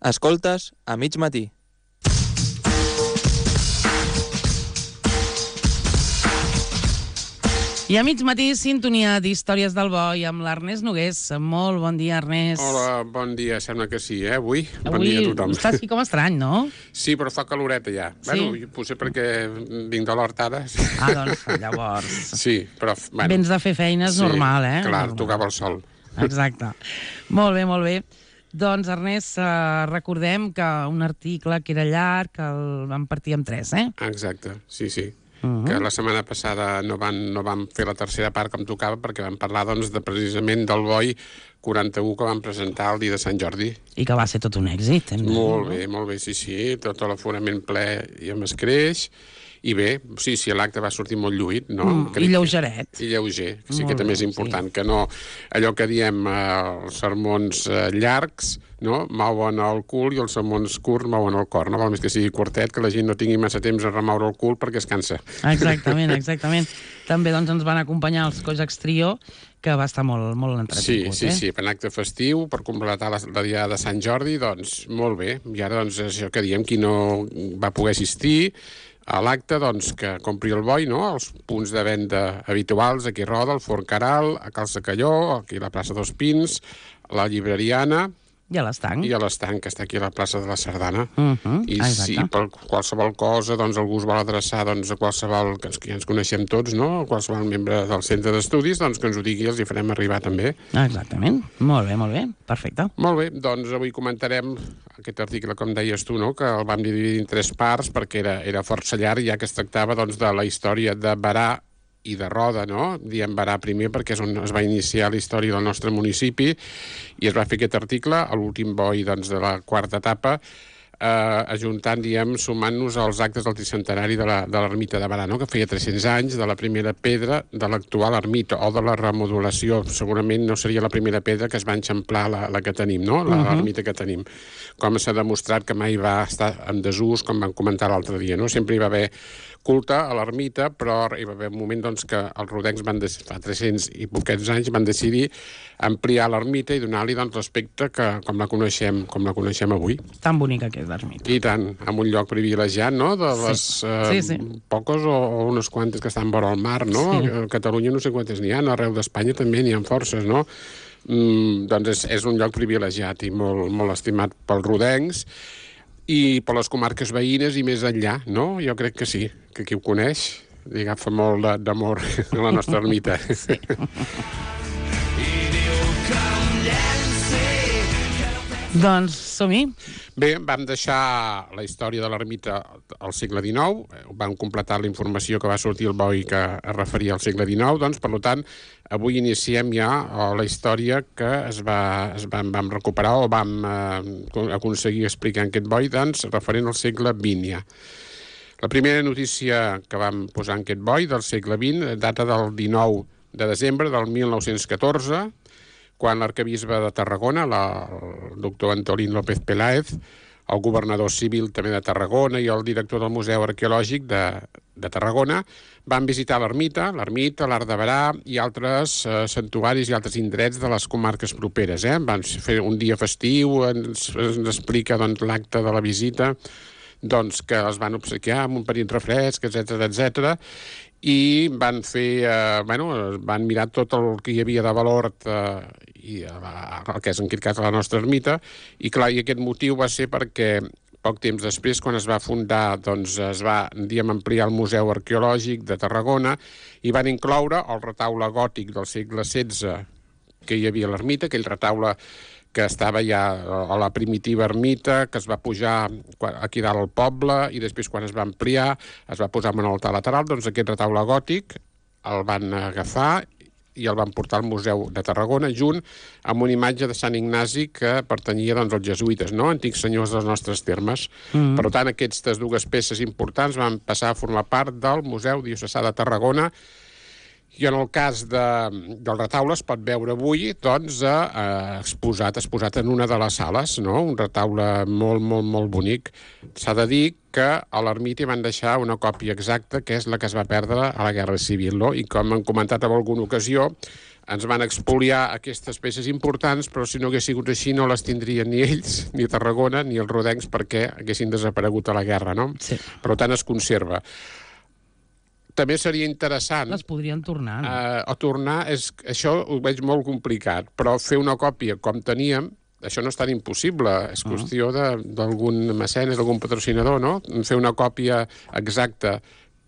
Escoltes a mig matí. I a mig matí, sintonia d'Històries del Boi amb l'Ernest Nogués. Molt bon dia, Ernest. Hola, bon dia. Sembla que sí, Avui bon dia a tothom. Estàs aquí com estrany, no? Sí, però fa caloreta ja. Sí? Bueno, potser perquè vinc de l'hort ara. Doncs llavors... Sí, però... Bueno, vens de fer feines sí, normal, Clar, normal. tocava el sol. Exacte. Molt bé, molt bé. Doncs, Ernest, recordem que un article que era llarg, que el vam partir en 3, Exacte, sí. Que la setmana passada no van fer la tercera part com tocava perquè vam parlar precisament del Boi 41 que van presentar el dia de Sant Jordi. I que va ser tot un èxit. Molt bé, sí. Tot l'aforament ple i amb escreix. I bé, sí, l'acte va sortir molt lluït, no? I lleugeret. I lleuger, que sí, Molt que també bé, és important, que no... Allò que diem, els sermons llargs, no?, mouen el cul, i els sermons curts mouen el cor, no? Val més que sigui curtet, que la gent no tingui massa temps a remoure el cul perquè es cansa. Exactament. També doncs, ens van acompanyar els Cojacs Trio, que va estar molt entretingut. Sí, per un acte festiu, per completar la dia de Sant Jordi, doncs, molt bé. I ara, doncs, això que diem, qui no va poder assistir a l'acte, doncs, que compri el Boi, no?, els punts de venda habituals, aquí a Roda, al Forn Caral, a Cal Secalló, aquí a la plaça dels Pins, a la Llibreriana... I a l'Estanc. I a l'Estanc, que està aquí a la plaça de la Sardana. I exacte. si per qualsevol cosa algú es vol adreçar a qualsevol, que ja ens coneixem tots, no?, qualsevol membre del centre d'estudis, doncs que ens ho digui i els hi farem arribar també. Exactament. Molt bé. Perfecte. Molt bé, doncs avui comentarem aquest article, com deies tu, no?, que el vam dividir en 3 parts perquè era força llarg, ja que es tractava de la història de Berà i de Roda, no? Diem Berà primer perquè és on es va iniciar la història del nostre municipi i es va fer aquest article a l'últim Boi de la quarta etapa, ajuntant, sumant-nos als actes del tricentenari de l'ermita de Berà, no?, que feia 300 anys de la primera pedra de l'actual ermita, o de la remodulació. Segurament no seria la primera pedra que es va enxamplar la que tenim, no?, l'ermita que tenim. Com s'ha demostrat que mai va estar en desús, com vam comentar l'altre dia, no? Sempre hi va haver culte a l'ermita, però hi va haver un moment que els rodencs fa 300 i poquets anys van decidir ampliar l'ermita i donar-li l'aspecte com la coneixem avui. Tan bonica que és l'ermita. I tant, amb un lloc privilegiat, no?, de les poques o unes quantes que estan vora el mar, no? Sí. A Catalunya no sé quantes n'hi ha, arreu d'Espanya també n'hi ha forces, no? Doncs és un lloc privilegiat i molt estimat pels rodencs i per les comarques veïnes i més enllà, no? Jo crec que sí, que qui ho coneix li agafa molt d'amor a la nostra ermita. Sí. Doncs som-hi. Bé, vam deixar la història de l'ermita al segle XIX, vam completar la informació que va sortir al Boi que es referia al segle XIX, doncs, per tant, avui iniciem ja la història que vam recuperar o vam aconseguir explicar en aquest Boi, doncs, referent al segle XX ja. La primera notícia que vam posar en aquest Boi del segle XX data del 19 de desembre del 1914, quan l'arquebisbe de Tarragona, el doctor Antolín López Peláez, el governador civil també de Tarragona i el director del Museu Arqueològic de Tarragona van visitar l'ermita, l'Arc de Berà i altres santuaris i altres indrets de les comarques properes. Van fer un dia festiu, ens explica l'acte de la visita, que els van obsequiar amb un petit refresc, etc. I van fer, van mirar tot el que hi havia de valor i el que és en aquest cas la nostra ermita, i clar, i aquest motiu va ser perquè poc temps després, quan es va fundar, doncs es va, ampliar el Museu Arqueològic de Tarragona i van incloure el retaule gòtic del segle XVI que hi havia a l'ermita, aquell retaule que estava ja a la primitiva ermita, que es va pujar aquí dalt al poble, i després quan es va ampliar es va posar en un altar lateral, doncs aquest retaule gòtic el van agafar i el van portar al Museu de Tarragona, junt amb una imatge de Sant Ignasi que pertanyia als jesuïtes, no?, antics senyors dels nostres termes. Per tant, aquestes dues peces importants van passar a formar part del Museu Diocesà de Tarragona. I en el cas del retaule es pot veure avui exposat en una de les sales, no? Un retaule molt bonic. S'ha de dir que a l'ermita van deixar una còpia exacta, que és la que es va perdre a la Guerra Civil, no? I com hem comentat en alguna ocasió, ens van expoliar aquestes peces importants, però si no hagués sigut així no les tindrien ni ells, ni Tarragona, ni els rodencs, perquè haguessin desaparegut a la guerra, no? Sí. Per tant, es conserva. També seria interessant... Les podrien tornar, no? O tornar, això ho veig molt complicat, però fer una còpia com teníem, això no és tan impossible, és qüestió d'algun mecenes, d'algun patrocinador, no? Fer una còpia exacta,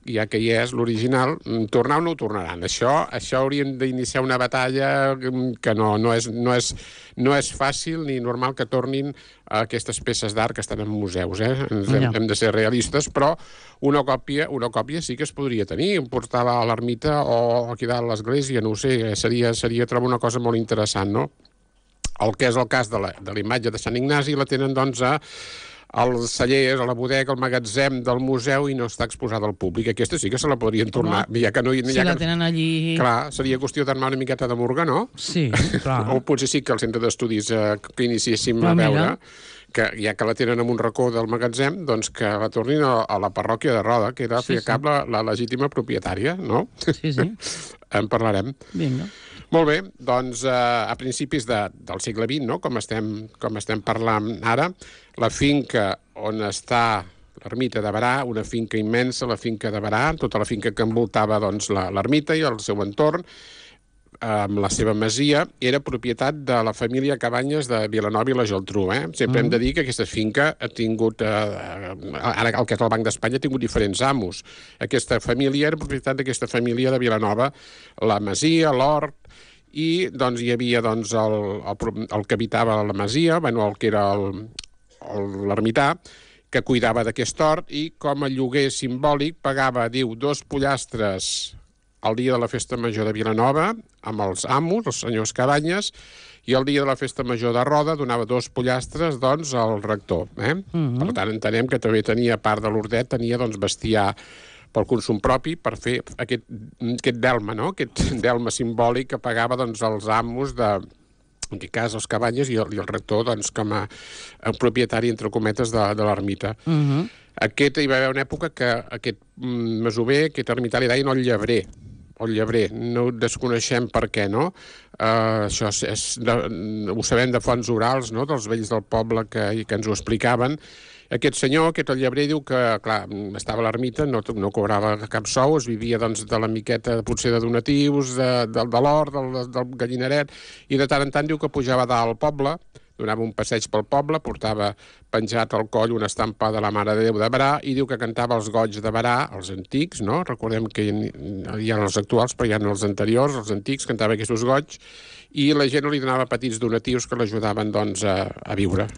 ja que hi és l'original, tornar o no ho tornaran. Això hauríem d'iniciar una batalla que no és fàcil ni normal que tornin aquestes peces d'art que estan en museus. Hem de ser realistes, però una còpia sí que es podria tenir, portar-la a l'ermita o aquí dalt a l'església, no ho sé, seria trobar una cosa molt interessant, no? El que és el cas de la imatge de Sant Ignasi la tenen, doncs, als cellers, a la bodega, al magatzem del museu i no està exposada al públic. Aquesta sí que se la podrien tornar. Ja que no, si la tenen allí... Clar, seria qüestió d'armar una miqueta de murga, no? Sí, clar. O potser sí que al centre d'estudis que iniciéssim a veure, que ja que la tenen en un racó del magatzem, doncs que la tornin a la parròquia de Roda, que era al fi i al cap la legítima propietària, no? Sí. En parlarem. Vinga. Molt bé, doncs a principis del segle XX, no? com estem parlant ara, la finca on està l'ermita de Berà, una finca immensa, la finca de Berà, tota la finca que envoltava doncs, l'ermita i el seu entorn, amb la seva masia, era propietat de la família Cabanyes de Vilanova i la Geltrú. Sempre hem de dir que aquesta finca ha tingut, ara el que és el Banc d'Espanya, ha tingut diferents amos. Aquesta família era propietat d'aquesta família de Vilanova, la masia, l'hort, i doncs, hi havia doncs, el que habitava la masia, el que era l'ermità, que cuidava d'aquest hort i com a lloguer simbòlic pagava, diu, 2 pollastres el dia de la festa major de Vilanova amb els amos, els senyors Cabanyes, i el dia de la festa major de Roda donava 2 pollastres doncs, al rector. Per tant, entenem que també tenia, a part de l'hortet, tenia doncs, bestiar pel consum propi, per fer aquest delme, no? Aquest delme simbòlic que pagava doncs, els amos en aquest cas els Cabanyes i el rector doncs, com a propietari, entre cometes, de l'ermita. Hi va haver una època que aquest masover, aquest ermità, li deien el llebrer. No ho desconeixem per què, no? Això ho sabem de fonts orals, no? Dels vells del poble que ens ho explicaven. Aquest senyor, aquest llebrer, diu que, clar, estava a l'ermita, no cobrava cap sou, es vivia doncs, de la miqueta, potser de donatius, de l'hort, del gallineret, i de tant en tant diu que pujava dalt al poble, donava un passeig pel poble, portava penjat al coll una estampa de la Mare de Déu de Berà i diu que cantava els goigs de Berà, els antics, no? Recordem que hi ha els actuals, però hi ha els anteriors, els antics, cantava aquests goigs, i la gent li donava petits donatius que l'ajudaven doncs, a viure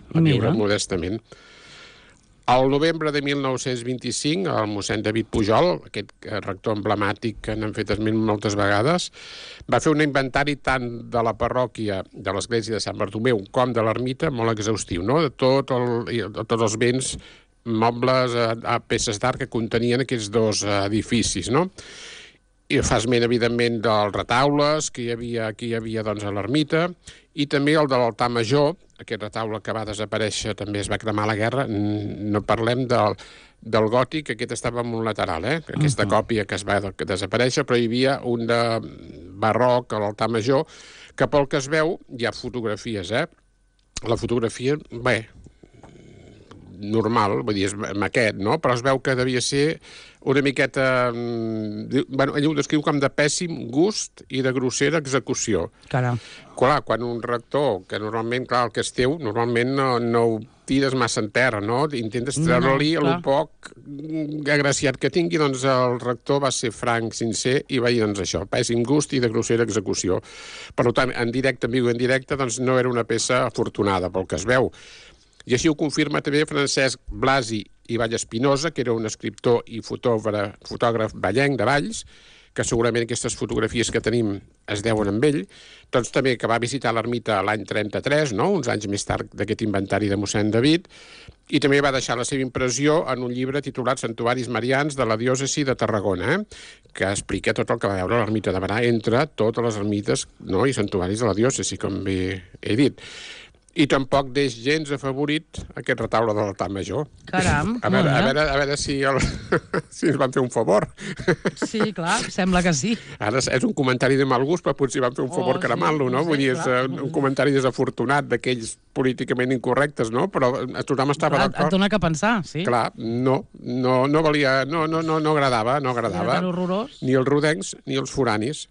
modestament. Al novembre de 1925, el mossèn David Pujol, aquest rector emblemàtic que n'han fet esment moltes vegades, va fer un inventari tant de la parròquia de l'església de Sant Bartomeu com de l'ermita molt exhaustiu, no? De tots els béns mobles, peces d'art que contenien aquests 2 edificis, no? I fa esment, evidentment, dels retaules que hi havia doncs, a l'ermita, i també el de l'altar major, aquest retaule que va desaparèixer, també es va cremar a la guerra. No parlem del gòtic, aquest estava en un lateral, aquesta còpia que es va desaparèixer, però hi havia un de barroc a l'altar major, que pel que es veu, hi ha fotografies, La fotografia, normal, vull dir, és maquet, no? Però es veu que devia ser una miqueta... ell ho descriu com de pèssim gust i de grossera execució. Caram. Clar, quan un rector, que normalment, clar, el que és teu, normalment no ho tires massa en terra, no? Intentes treure-li el poc agraciat que tingui, doncs el rector va ser franc, sincer, i va dir, doncs això, pèssim gust i de grossera execució. Per tant, en directe, en viu i en directe, doncs no era una peça afortunada, pel que es veu. I així ho confirma també Francesc Blasi i Vall Espinosa, que era un escriptor i fotògraf vallenc de Valls, que segurament aquestes fotografies que tenim es deuen amb ell, doncs també que va visitar l'ermita l'any 33, no? Uns anys més tard d'aquest inventari de mossèn David, i també va deixar la seva impressió en un llibre titulat Santuaris Marians de la diòcesi de Tarragona, que explica tot el que va veure l'ermita de Berà entre totes les ermites, no? I santuaris de la diòcesi, com bé he dit. I tampoc deix gens afavorit aquest retaule de l'altar major. Caram, a veure si, si ens van fer un favor. Sí, clar, sembla que sí. Ara és un comentari de mal gust, però potser van fer un favor cremant-lo, no? Vull dir, és un comentari desafortunat d'aquells políticament incorrectes, no? Però tothom estava d'acord. Et dona que pensar, sí. Clar, no valia, no agradava. Era tan horrorós. Ni els rodencs ni els foranis.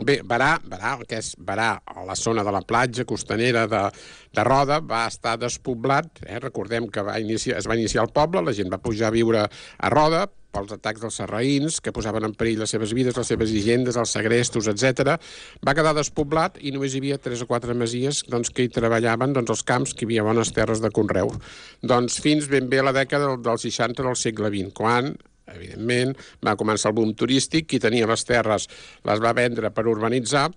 Bé, Berà, que és Berà, a la zona de la platja costanera de Roda, va estar despoblat. Recordem que es va iniciar el poble, la gent va pujar a viure a Roda pels atacs dels sarraïns, que posaven en perill les seves vides, les seves hisendes, els segrestos, etc. Va quedar despoblat i només hi havia 3 o 4 masies que hi treballaven els camps, que hi havia bones terres de conreu. Fins ben bé a la dècada del 60 del segle XX, quan evidentment, va començar el boom turístic, qui tenia les terres les va vendre per urbanitzar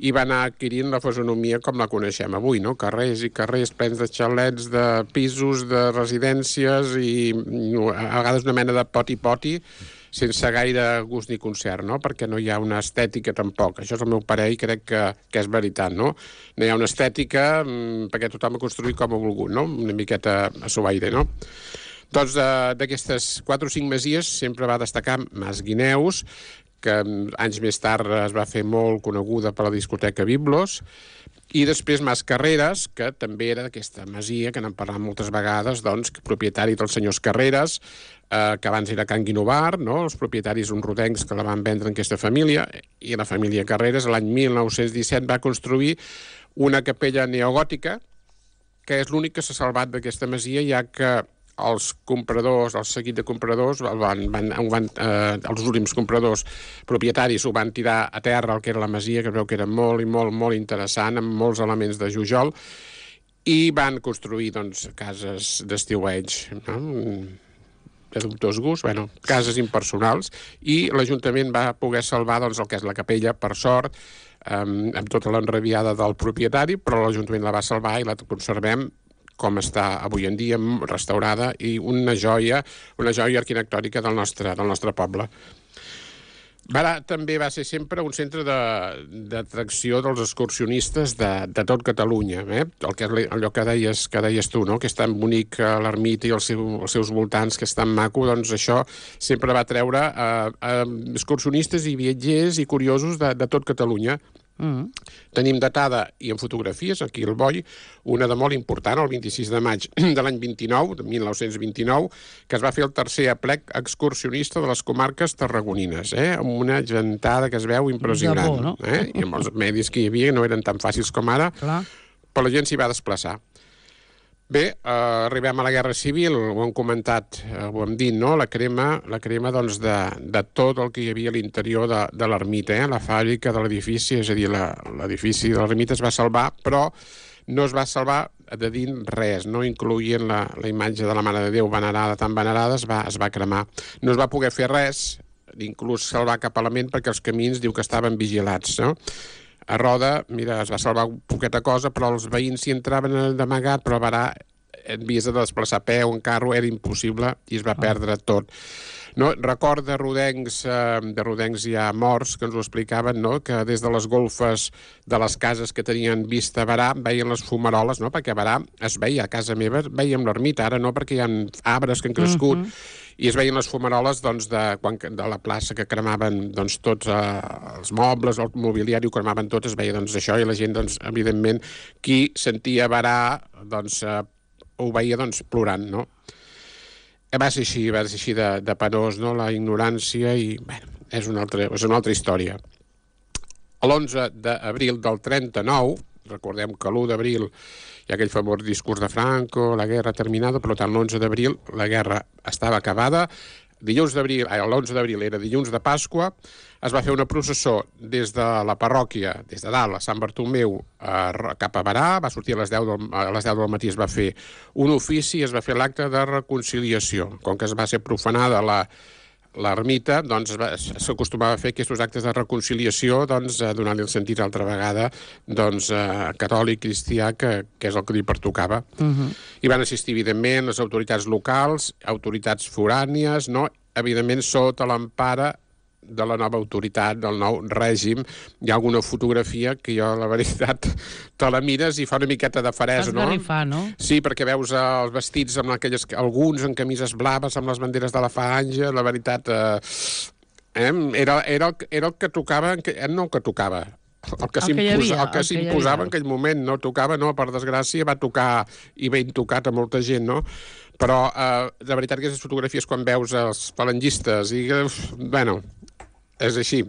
i va anar adquirint la fisonomia com la coneixem avui, no? Carrers i carrers plens de xalets, de pisos, de residències i a vegades una mena de poti-poti sense gaire gust ni concert, no? Perquè no hi ha una estètica tampoc. Això és el meu parer i crec que és veritat, no? No hi ha una estètica perquè tothom ha construït com ha volgut, no? Una miqueta a seu aire, no? Doncs d'aquestes 4 o 5 masies sempre va destacar Mas Guineus, que anys més tard es va fer molt coneguda per la discoteca Biblos, i després Mas Carreras, que també era d'aquesta masia, que n'hem parlat moltes vegades, propietari dels senyors Carreras, que abans era Can Guinovar, no? Els propietaris uns rodencs que la van vendre en aquesta família, i la família Carreras l'any 1917 va construir una capella neogòtica, que és l'únic que s'ha salvat d'aquesta masia, ja que els compradors, el seguit de compradors, els últims compradors propietaris ho van tirar a terra, el que era la masia, que veu que era molt i molt interessant, amb molts elements de jujol, i van construir cases d'estiueig, no? De dubtós gust, cases impersonals, i l'Ajuntament va poder salvar el que és la capella, per sort, amb tota l'enrabiada del propietari, però l'Ajuntament la va salvar i la conservem com està avui en dia, restaurada, i una joia arquitectònica del nostre poble. Berà també va ser sempre un centre d'atracció dels excursionistes de tot Catalunya. Allò que deies tu, no? Que és tan bonic l'ermita i els seus voltants, que és tan maco, doncs això sempre va treure excursionistes i viatgers i curiosos de tot Catalunya. Tenim datada, i en fotografies, aquí al Boi, una de molt important, el 26 de maig de l'any 1929, que es va fer el tercer aplec excursionista de les comarques tarragonines, amb una gentada que es veu impressionant. No? I amb els medis que hi havia no eren tan fàcils com ara, però la gent s'hi va desplaçar. Bé, arribem a la Guerra Civil, ho hem comentat, ho hem dit, no? La crema de tot el que hi havia a l'interior de l'ermita, la fàbrica de l'edifici, és a dir, l'edifici de l'ermita es va salvar, però no es va salvar de dins res, no incloïen la imatge de la Mare de Déu venerada, tan venerada, es va cremar. No es va poder fer res, inclús salvar cap element, perquè els camins diu que estaven vigilats, no? A Roda, mira, es va salvar poqueta cosa, però els veïns s'hi entraven d'amagat, però a Berà havies de desplaçar a peu, en carro, era impossible i es va perdre tot. No? Record de rodencs ja morts, que ens ho explicaven, no? Que des de les golfes de les cases que tenien vista a Berà veien les fumaroles, no? Perquè a Berà es veia, a casa meva veiem l'ermita, ara no, perquè hi ha arbres que han crescut, i es veien les fumaroles de la plaça que cremaven tots els mobles, el mobiliari, ho cremaven tot, es veia això, i la gent, evidentment, qui sentia Berà, ho veia plorant, no? Va ser així de penós, no? La ignorància, i bé, és una altra història. L'11 d'abril del 39, recordem que l'1 d'abril hi ha aquell famós discurs de Franco, la guerra terminada, per tant, l'11 d'abril la guerra estava acabada. L'11 d'abril era dilluns de Pasqua, es va fer una processó des de la parròquia, des de dalt, a Sant Bartomeu, cap a Berà, va sortir a les 10 del matí, es va fer un ofici, es va fer l'acte de reconciliació. Com que es va ser profanada l'ermita, s'acostumava a fer aquests actes de reconciliació, donant-li el sentit altra vegada catòlic, cristià, que és el que li pertocava. I van assistir, evidentment, les autoritats locals, autoritats forànies, no? Evidentment, sota l'empara de la nova autoritat, del nou règim. Hi ha alguna fotografia que jo, la veritat, te la mires i fa una miqueta de farès, no? Esgarrifar, no? Sí, perquè veus els vestits amb alguns en camises blaves, amb les banderes de la Falange, la veritat... Era el que tocava... No el que tocava, el que s'imposava en aquell moment. No tocava, no, per desgràcia, va tocar i ben tocat a molta gent, no? Però, de veritat, aquestes fotografies, quan veus els falangistes, i, bueno, és així.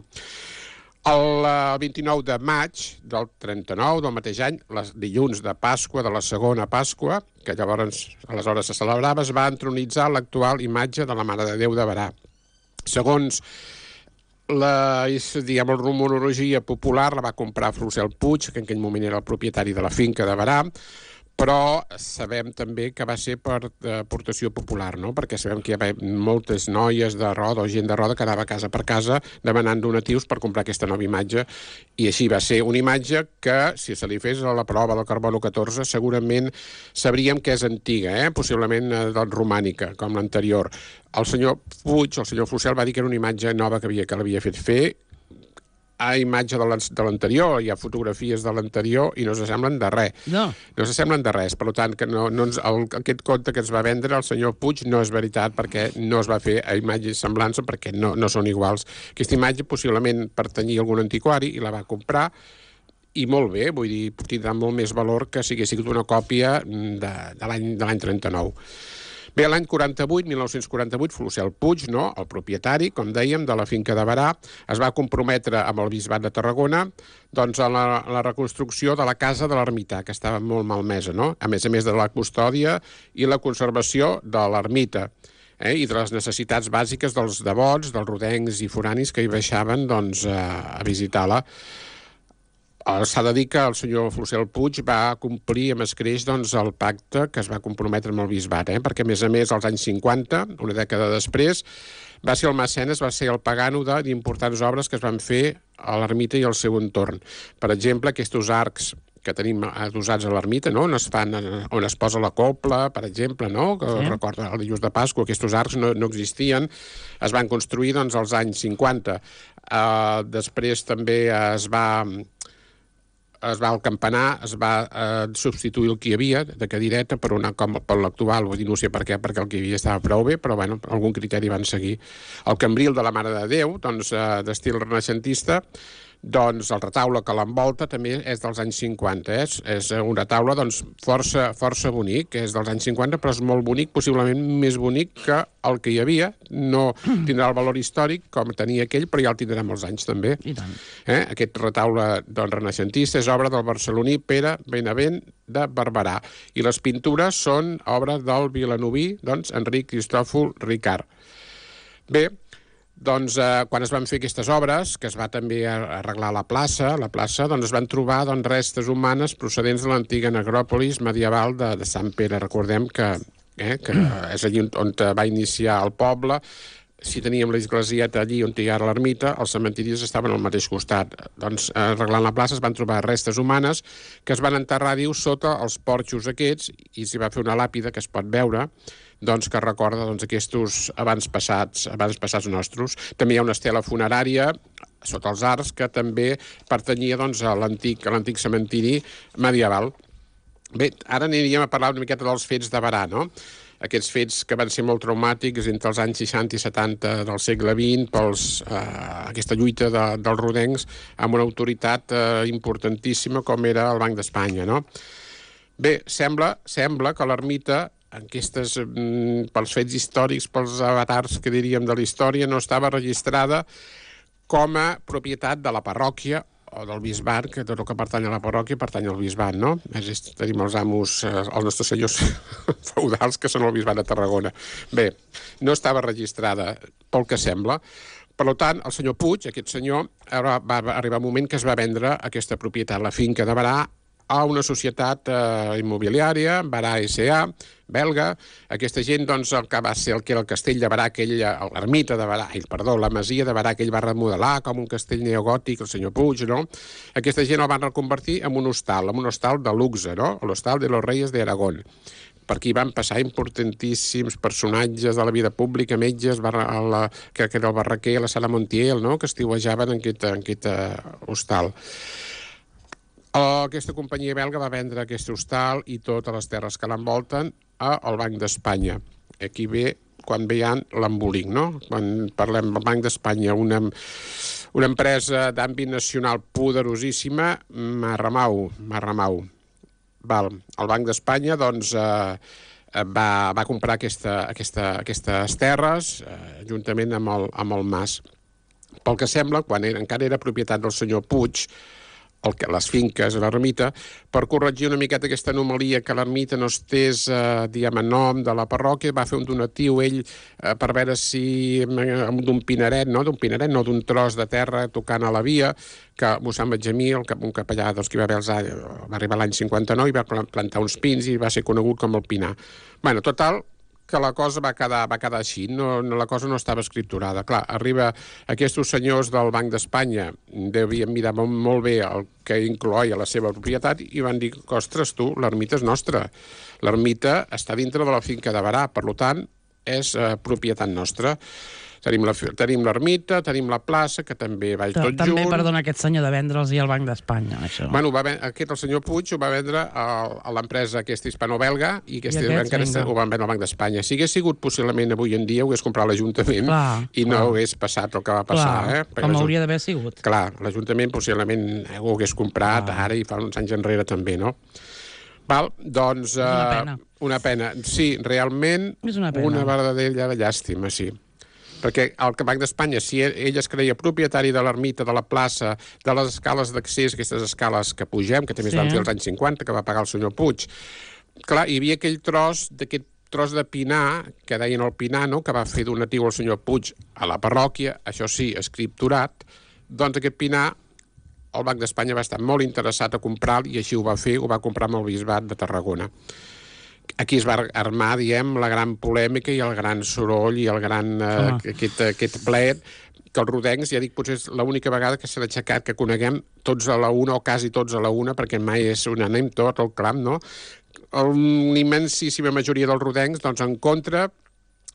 El 29 de maig del 39, del mateix any, els dilluns de Pasqua, de la segona Pasqua, que llavors, aleshores se celebrava, es va entronitzar l'actual imatge de la Mare de Déu de Berà. Segons la rumorologia popular, la va comprar Frucel Puig, que en aquell moment era el propietari de la finca de Berà, però sabem també que va ser per aportació popular, no? Perquè sabem que hi havia moltes noies de Roda o gent de Roda que anava casa per casa demanant donatius per comprar aquesta nova imatge, i així va ser una imatge que, si se li fes la prova del carbono 14, segurament sabríem que és antiga, possiblement romànica, com l'anterior. El senyor Puig, el senyor Frucel, va dir que era una imatge nova que l'havia fet fer, a imatge de l'anterior, hi ha fotografies de l'anterior i no s'assemblen de res. No s'assemblen de res, per tant, que aquest conte que ens va vendre el senyor Puig no és veritat, perquè no es va fer a imatge i semblança, perquè no són iguals. Aquesta imatge possiblement pertanyia a algun antiquari i la va comprar, i molt bé, vull dir, tindrà molt més valor que si hagués sigut una còpia de l'any 39. Bé, l'any 1948, Frucel Puig, no, el propietari, com dèiem, de la finca de Berà, es va comprometre amb el Bisbat de Tarragona doncs, a la reconstrucció de la casa de l'ermità, que estava molt malmesa, no? A més de la custòdia i la conservació de l'ermita, i de les necessitats bàsiques dels devots, dels rodencs i foranis que hi baixaven doncs, a visitar-la. S'ha de dir que el senyor Frucel Puig va complir amb escreix doncs, el pacte que es va comprometre amb el bisbat, perquè a més, als anys 50, una dècada després, va ser el mecenes, va ser el pagano d'importants obres que es van fer a l'ermita i al seu entorn. Per exemple, aquests arcs que tenim adossats a l'ermita, no? On es posa la copla, per exemple, no? Que recorda el dilluns de Pasqua, aquests arcs no existien, es van construir doncs, als anys 50. Després també el campanar es va substituir el que hi havia de cadireta per l'actual, vull dir, no sé per què, perquè el que hi havia estava prou bé, però bueno, algun criteri van seguir. El cambril de la Mare de Déu, doncs, d'estil renaixentista, doncs el retaule que l'envolta també és dels anys 50, és un retaule doncs, força bonic, és dels anys 50, però és molt bonic, possiblement més bonic que el que hi havia. No tindrà el valor històric com tenia aquell, però ja el tindrà molts anys també. I tant. Aquest retaule doncs, renaixentista és obra del barceloní Pere Benavent de Barberà, i les pintures són obra del vilanoví doncs, Enric Cristòfol Ricard. Bé, doncs, quan es van fer aquestes obres, que es va també arreglar la plaça doncs es van trobar restes humanes procedents de l'antiga necròpolis medieval de Sant Pere. Recordem que és allí on va iniciar el poble. Si teníem l'esglésieta allí on hi ha l'ermita, els cementiris estaven al mateix costat. Doncs, arreglant la plaça, es van trobar restes humanes que es van enterrar, sota els porxos aquests, i s'hi va fer una làpida que es pot veure, doncs, que recorda aquests abans passats nostres. També hi ha una estela funerària sota els arcs que també pertanyia doncs, a l'antic cementiri medieval. Bé, ara aniríem a parlar una miqueta dels fets de Berà, no? Aquests fets que van ser molt traumàtics entre els anys 60 i 70 del segle XX, aquesta lluita dels rodencs amb una autoritat importantíssima com era el Banc d'Espanya, no? Bé, sembla que l'ermita, pels fets històrics, pels avatars que diríem de la història, no estava registrada com a propietat de la parròquia o del bisbat, que tot el que pertany a la parròquia pertany al bisbat, no? Tenim els amos, els nostres senyors feudals, que són el bisbat de Tarragona. Bé, no estava registrada pel que sembla. Per tant, el senyor Puig, aquest senyor, va arribar un moment que es va vendre aquesta propietat, la finca de Berà, a una societat immobiliària, Berà S.A., belga. Aquesta gent, doncs, el que va ser el que era el castell de Berà, l'ermita de Berà, la masia de Berà, que ell va remodelar com un castell neogòtic, el senyor Puig, no? Aquesta gent el van reconvertir en un hostal de luxe, no? L'hostal de los Reyes de Aragón. per aquí van passar importantíssims personatges de la vida pública, metges, que era el Barraquer, la Sara Montiel, no?, que estiuejaven en aquest hostal. Aquesta companyia belga va vendre aquest hostal i totes les terres que l'envolten al Banc d'Espanya. Aquí ve quan veien l'embolic, no? Quan parlem del Banc d'Espanya, una empresa d'àmbit nacional poderosíssima, Marramau. El Banc d'Espanya, doncs, va comprar aquestes terres juntament amb el Mas. Pel que sembla, quan encara era propietat del senyor Puig, les finques a l'ermita, per corregir una miqueta aquesta anomalia que l'ermita no estés, diguem, en nom de la parròquia, va fer un donatiu ell per veure si d'un pineret, d'un tros de terra tocant a la via, que mossèn Benjamí, un capellà dels que va arribar l'any 59 i va plantar uns pins i va ser conegut com el Pinar. Bueno, total, que la cosa va quedar així, la cosa no estava escripturada. Clar, arriba aquests senyors del Banc d'Espanya, devien mirar molt bé el que incloïa la seva propietat i van dir, ostres, tu, l'ermita és nostra. L'ermita està dintre de la finca de Berà, per tant, és propietat nostra. Tenim l'ermita, tenim la plaça, que també va tot junt. També, perdona, aquest senyor de vendre'ls i al Banc d'Espanya, això. Bueno, el senyor Puig ho va vendre a l'empresa aquesta hispano-belga i ho van vendre al Banc d'Espanya. Si hagués sigut possiblement avui en dia, ho hagués comprat l'Ajuntament i no hagués passat el que va passar. Com hauria d'haver sigut. Clar, l'Ajuntament possiblement ho hagués comprat ara i fa uns anys enrere també, no? Val, doncs... Una pena. Sí, realment, una verdadera llàstima, sí. Perquè el Banc d'Espanya, si ell es creia propietari de l'ermita, de la plaça, de les escales d'accés, aquestes escales que pugem, que també es van fer als anys 50, que va pagar el senyor Puig, clar, hi havia aquell tros de pinar, que deien el Pinar, no?, que va fer donatiu al senyor Puig a la parròquia, això sí, escripturat, doncs aquest pinar el Banc d'Espanya va estar molt interessat a comprar i així ho va fer, ho va comprar amb el bisbat de Tarragona. Aquí es va armar, diem, la gran polèmica i el gran soroll i el gran aquest plet, que els rodencs, ja dic, potser és l'única vegada que s'ha aixecat, que coneguem tots a la una o quasi tots a la una, perquè mai és unànime tot el clam, no? Una immensíssima majoria dels rodencs, doncs, en contra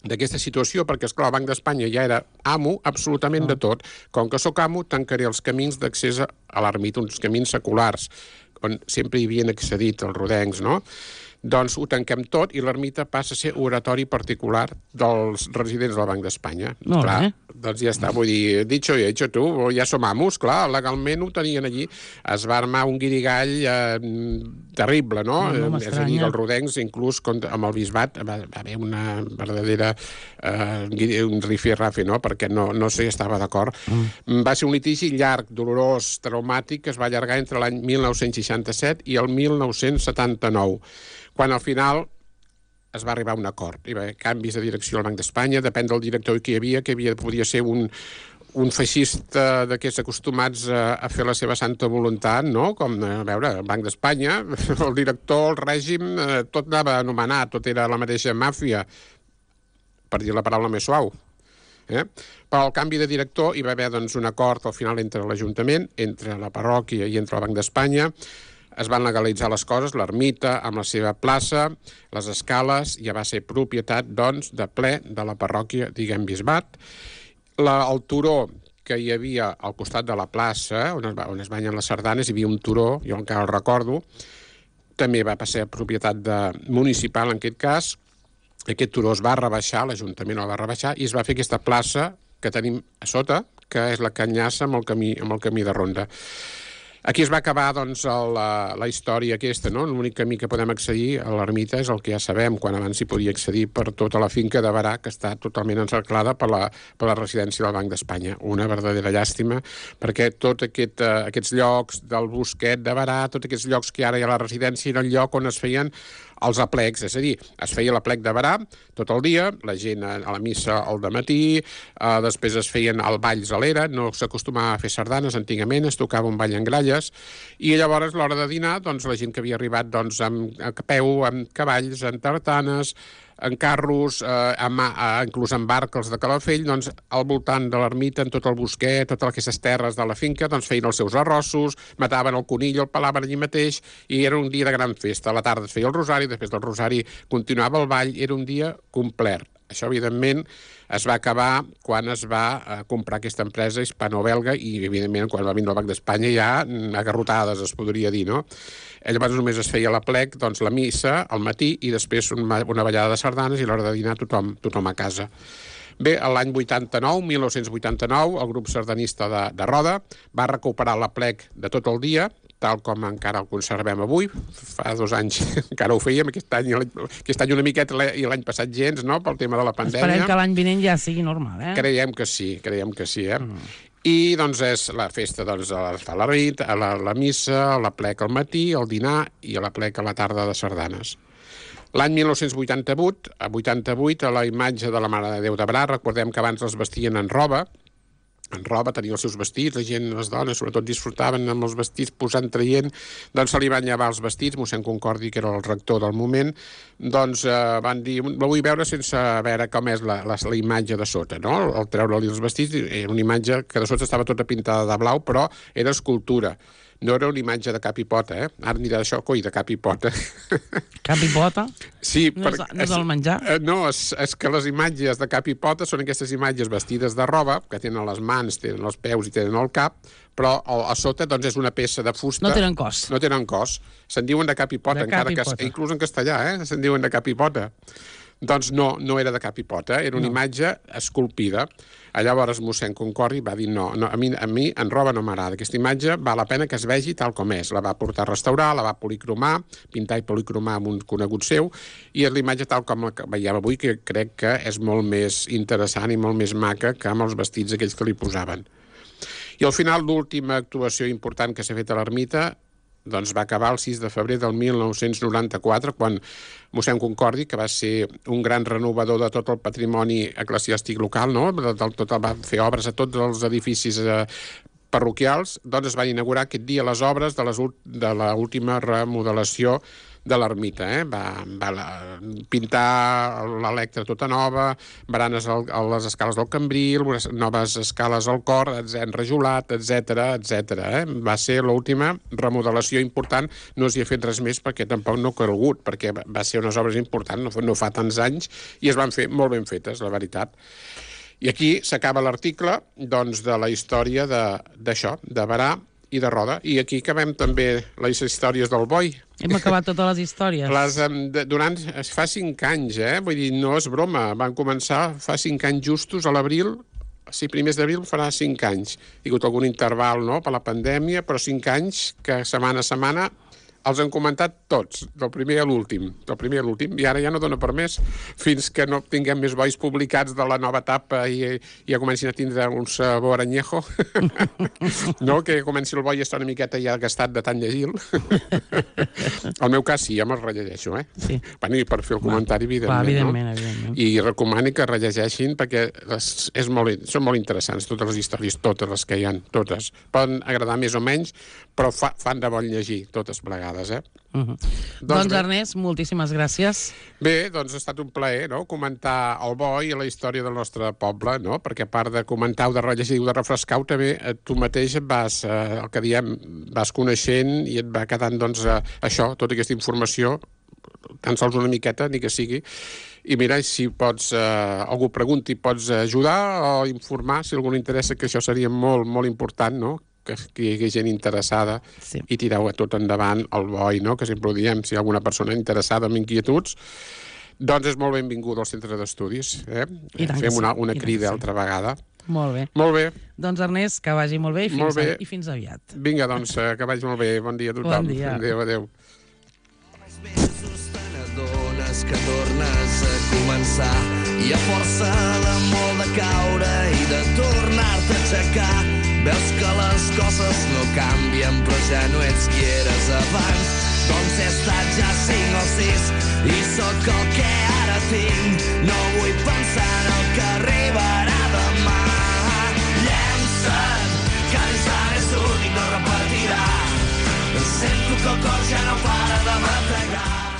d'aquesta situació, perquè, esclar, el Banc d'Espanya ja era amo absolutament de tot. Com que sóc amo, tancaré els camins d'accés a l'ermita, uns camins seculars, on sempre hi havien accedit els rodencs, no? Doncs ho tanquem tot i l'ermita passa a ser oratori particular dels residents del Banc d'Espanya. Molt bé. Doncs ja està, vull dir, dicho y hecho, tu, ja som amos, clar, legalment ho tenien allí. Es va armar un guirigall terrible, no? És a dir, els rodencs, inclús amb el bisbat, va haver una verdadera un rifirrafe, no?, perquè no s'hi estava d'acord. Va ser un litigi llarg, dolorós, traumàtic, que es va allargar entre l'any 1967 i el 1979, quan al final es va arribar a un acord. Hi va haver canvis de direcció al Banc d'Espanya, depèn del director que hi havia, podia ser un feixista d'aquests acostumats a fer la seva santa voluntat, no? Com, a veure, el Banc d'Espanya, el director, el règim, tot anava anomenat, tot era la mateixa màfia, per dir la paraula més suau. Però al canvi de director hi va haver doncs, un acord al final entre l'Ajuntament, entre la parròquia i entre el Banc d'Espanya. Es van legalitzar les coses, l'ermita amb la seva plaça, les escales, ja va ser propietat, doncs, de ple de la parròquia, diguem, bisbat. El turó que hi havia al costat de la plaça, on es banyen les sardanes, hi havia un turó, jo encara el recordo, també va passar a propietat municipal en aquest cas. Aquest turó es va rebaixar, l'Ajuntament el va rebaixar, i es va fer aquesta plaça que tenim a sota, que és la que enllaça amb el camí de ronda. Aquí es va acabar doncs, la història aquesta, no? L'únic camí que podem accedir a l'ermita és el que ja sabem, quan abans s'hi podia accedir per tota la finca de Berà, que està totalment encerclada per la residència del Banc d'Espanya. Una verdadera llàstima, perquè tots aquests llocs del bosquet de Berà, tots aquests llocs que ara hi ha a la residència, era el lloc on es feien els aplecs, és a dir, es feia l'aplec de Berà tot el dia, la gent a la missa al dematí, després es feien el balls a l'era, no s'acostumava a fer sardanes antigament, es tocava un ball en gralles, i llavors a l'hora de dinar, doncs, la gent que havia arribat doncs, a peu, amb cavalls, amb tartanes, en carros, inclús en barques de Calafell, doncs al voltant de l'ermita, en tot el bosquet, totes aquestes terres de la finca, doncs feien els seus arrossos, mataven el conill, el pelaven allí mateix, i era un dia de gran festa. A la tarda es feia el rosari, després del rosari continuava el ball, era un dia complet. Això, evidentment, es va acabar quan es va comprar aquesta empresa hispano-belga i, evidentment, quan va vindre el Banc d'Espanya ja agarrotades, es podria dir, no? Llavors només es feia l'aplec, doncs la missa al matí i després una ballada de sardanes i a l'hora de dinar tothom a casa. Bé, l'any 1989, el grup sardanista de Roda va recuperar l'aplec de tot el dia, tal com encara el conservem avui. Fa 2 anys encara ho fèiem, aquest any una miqueta i l'any passat gens, no?, pel tema de la pandèmia. Esperem que l'any vinent ja sigui normal, eh? Creiem que sí, I, doncs, és la festa, doncs, fa la nit, la missa, l'aplec al matí, el dinar i l'aplec a la tarda de sardanes. L'any 1988, a la imatge de la Mare de Déu de Bra, recordem que abans els vestien en roba, tenien els seus vestits, la gent, les dones, sobretot disfrutaven amb els vestits, posant, traient, doncs se li van llevar els vestits, mossèn Concordi, que era el rector del moment, doncs van dir, la vull veure sense veure com és la imatge de sota, no? Al treure-li els vestits, era una imatge que de sota estava tota pintada de blau, però era escultura. No era una imatge de cap i pota, eh? Ara anirà això, coi, de cap i pota. Cap i pota? Sí. No és el menjar? No, és que les imatges de cap i pota són aquestes imatges vestides de roba, que tenen les mans, tenen els peus i tenen el cap, però a sota doncs, és una peça de fusta... No tenen cos. No tenen cos. Se'n diuen de cap i pota, inclús en castellà, se'n diuen de cap i pota. Doncs no era de cap i pota, era una imatge esculpida. Llavors mossèn Concordi va dir no, a mi en roba no m'agrada. Aquesta imatge val la pena que es vegi tal com és. La va portar a restaurar, la va policromar, pintar i policromar amb un conegut seu, i és la imatge tal com la veiem avui, que crec que és molt més interessant i molt més maca que amb els vestits aquells que li posaven. I al final, l'última actuació important que s'ha fet a l'ermita doncs va acabar el 6 de febrer del 1994, quan mossèn Concordi, que va ser un gran renovador de tot el patrimoni eclesiàstic local, no? Va fer obres a tots els edificis parroquials, doncs es van inaugurar aquest dia les obres de l'última remodelació de l'ermita. Va pintar l'Electra tota nova, baranes a les escales del Cambril, noves escales al cor, enrajolat, etc. Va ser l'última remodelació important. No s'hi ha fet res més perquè tampoc no ha calgut, perquè va ser unes obres importants, no fa tants anys, i es van fer molt ben fetes, la veritat. I aquí s'acaba l'article doncs, de la història d'això, de Berà i de Roda. I aquí acabem també les històries del boi. Hem acabat totes les històries. Fa 5 anys, vull dir, no és broma. Van començar fa 5 anys justos, a l'abril, sí, primers d'abril farà 5 anys. Hi ha hagut algun interval, no?, per la pandèmia, però 5 anys que setmana a setmana els han comentat tots, del primer a l'últim, i ara ja no dona per més, fins que no tinguem més bois publicats de la nova etapa i ja comencin a tindre un sabor anyejo, no? Que comenci el boi a estar una miqueta ja gastat de tant llegir-lo. Al meu cas sí, ja me'l rellegeixo, Sí. Bueno, i per fer el comentari, evidentment, no? I recomano que rellegeixin perquè són molt interessants, totes les històries, totes les que hi ha, totes. Poden agradar més o menys, però fan de bon llegir, totes plegades. Doncs Ernest, moltíssimes gràcies. Bé, doncs ha estat un plaer, no?, comentar el boi i la història del nostre poble, no?, perquè a part de comentar o de rellegir o de refrescar-ho, també tu mateix el que diem, vas coneixent i et va quedant, doncs, això, tota aquesta informació, tan sols una miqueta, ni que sigui, i mira, si pots, algú pregunti, pots ajudar o informar, si algú interessa, que això seria molt, molt important, no?, que hi hagi gent interessada, sí, i tireu a tot endavant el boi, no?, que sempre ho diem, si hi ha alguna persona interessada amb inquietuds, doncs és molt benvingut al centre d'estudis. Fem una crida altra vegada. Molt bé. Molt bé. Doncs Ernest, que vagi molt bé i fins aviat. Vinga, doncs, que vagi molt bé. Bon dia a tothom. Bon dia. Adéu. Que tornes a començar i a força l'amor de caure i de tornar-te a aixecar. Veus que les coses no canvien, però ja no ets qui eres abans. Doncs he estat ja 5 o 6 i sóc el que ara tinc. No vull pensar en el que arribarà demà. Llença't, que l'instant és únic, no repetirà. Sento que el cor ja no para de bategar.